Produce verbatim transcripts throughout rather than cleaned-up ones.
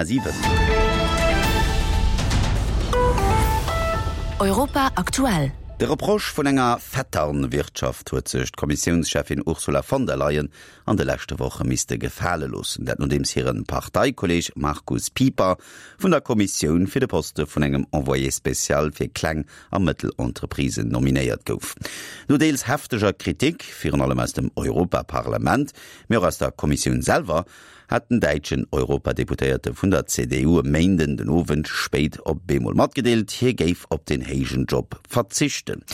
siwen. Europa aktuell. De Reproche vun enger Vetternwirtschaft huet sech d'Kommissiounscheffin Ursula von der Leyen an de leschte Woche misste gefale loossen. Dat nodeems hire Parteikolleeg Markus Pieper vun der Kommissioun fir de Poste vun engem Envoyé spécial fir Kleng a Mëttelentreprisen nominéiert gouf. No deels hefteger Kritik, virun allem aus dem Europaparlament, mee och aus der Kommissioun selwer, hat den däitschen Europadeputéierte vun der C D U e Méinden den Owend spéit op eemol matgedeelt, hie géif op den héijen Job verzichten.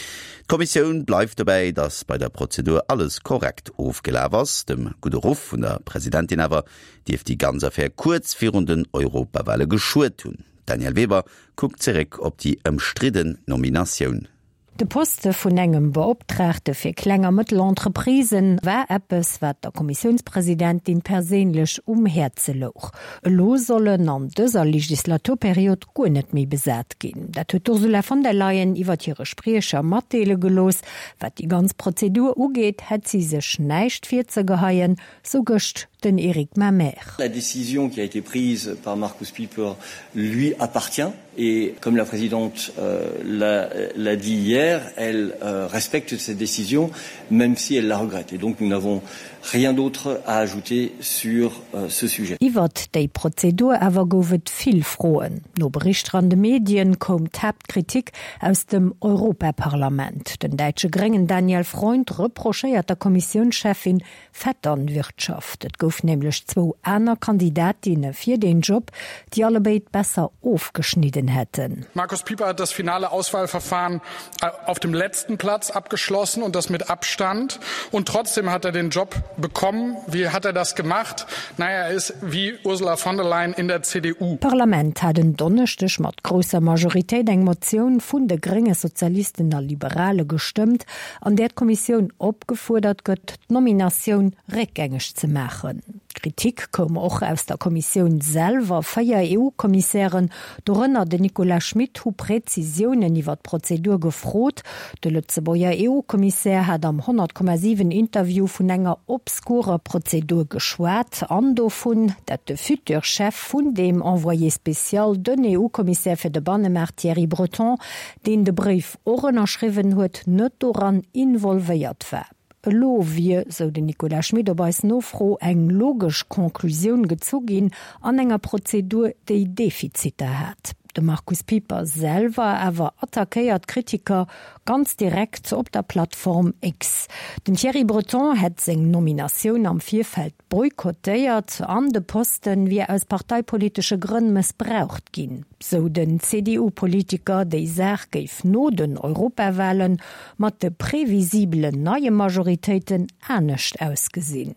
D'Kommissioun bleift dobäi, datt bei der Prozedur alles korrekt ofgelaf ass. Dem gudde Ruff vun der Presidentin awer dierft déi ganz Affär kuerz virun den Europawale geschuet hunn. D'Danièle Weber kuckt zeréck op déi ëmstridden Nominatioun. De Poste vun engem Beoptraagte fir kleng a Mëttelentreprisen war eppes, wat der Kommissiounspresidentin perséinlech um Häerze louch. Elo soll en an dëser Legislaturperiod guer net méi besat ginn. Dat huet d'Ursula von der Leyen iwwer hire Spriecher matdeele gelooss. Wat déi ganz Prozedur ugeet, hätt si sech näischt virzegeheien, sou gëscht den Eric Mamer. La décision qui a été prise par Markus Pieper lui appartient et comme la présidente euh, l'a dit hier, elle euh, respecte cette décision même si elle la regrette. Et donc nous n'avons rien d'autre à ajouter sur euh, ce sujet. Iwwert déi Prozedur awer gouf et vill Froen. No Berichter an de Medien koum d'Haaptkritik aus dem Europaparlament. Den däitsche Gréngen Daniel Freund reprochéiert der Kommissiounscheffin Vetternwirtschaft. Et gouf nämlech zwou aner Kandidatinne fir den Job, déi allebéid besser ofgeschnidden hätten. Markus Pieper hat das finale Auswahlverfahren äh, auf dem letzten Platz abgeschlossen und das mit Abstand. Und trotzdem hat er den Job bekommen. Wie hat er das gemacht? Naja, er ist wie Ursula von der Leyen in der C D U. D'Parlament hat en Donneschdeg mat grousser Majoritéit eng Motioun vun de Gréngen, Sozialisten a Liberale gestëmmt, an där d'Kommissioun opgefuerdert gëtt, d'Nominatioun réckgängeg ze maachen. Kritik koum och aus der Kommissioun selwer. Véier E U-Kommissären, dorënner den Nicolas Schmit, hu Präzisiounen iwwer d'Prozedur gefrot. De Lëtzebuerger E U-Kommissär hat am honnert Komma siwen Interview vun enger obskurer Prozedur geschwat an dovun, datt de future Chef vun deem Envoyé spécial, den E U-Kommissär fir de Bannemaart Thierry Breton, deen de Bréif och ënnerschriwwen huet, net doran involvéiert war. Elo wier, sou den Nicolas Schmit op eis Nofro, eng logesch Konklusioun gezu ginn an enger Prozedur, déi Defiziter hat. De Markus Pieper selwer awer attackéiert Kritiker ganz direkt op der Plattform X. Den Thierry Breton hätt seng Nominatioun am Virfeld boykottéiert an de Poste wier aus parteipolitesche Grënn mëssbraucht ginn. Sou den C D U-Politiker. Déi Saach géif no den Europawalen mat de previsibelen neie Majoritéiten anescht ausgesinn.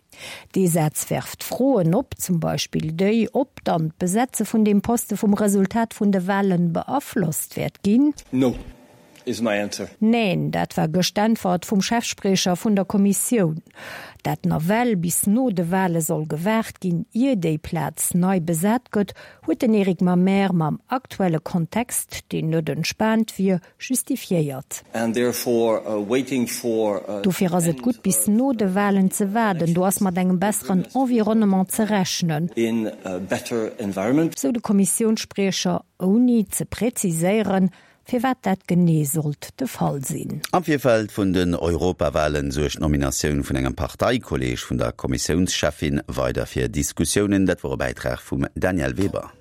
Dee Saz werft Froen op, zum Beispill déi, ob dann d'Besetze vun deem Poste vum Resultat vun de Walen beaflosst wäert ginn. No is my answer. Neen, dat war gëscht d'Äntwert vum Chefspriecher vun der Kommissioun. Dat nawell bis no de Wale soll gewaart ginn, ier déi Plaz nei besat gëtt, huet den Eric Mamer mam aktuelle Kontext, deen net entspaant wier, justifiéiert. Uh, uh, Dofir ass et gutt, bis no de Walen ze waarden, do ass mat engem besseren Environnement ze rechnen. Sou de Kommissiounsspriecher, ouni ze präziséieren, firwat dat genee sollt de Fall sinn. Am Virfeld vun den Europawalen suergt d'Nominatioun vun engem Parteikolleeg vun der Kommissiounscheffin weider fir Diskussiounen. Dat wor e Bäitrag vum Danièle Weber.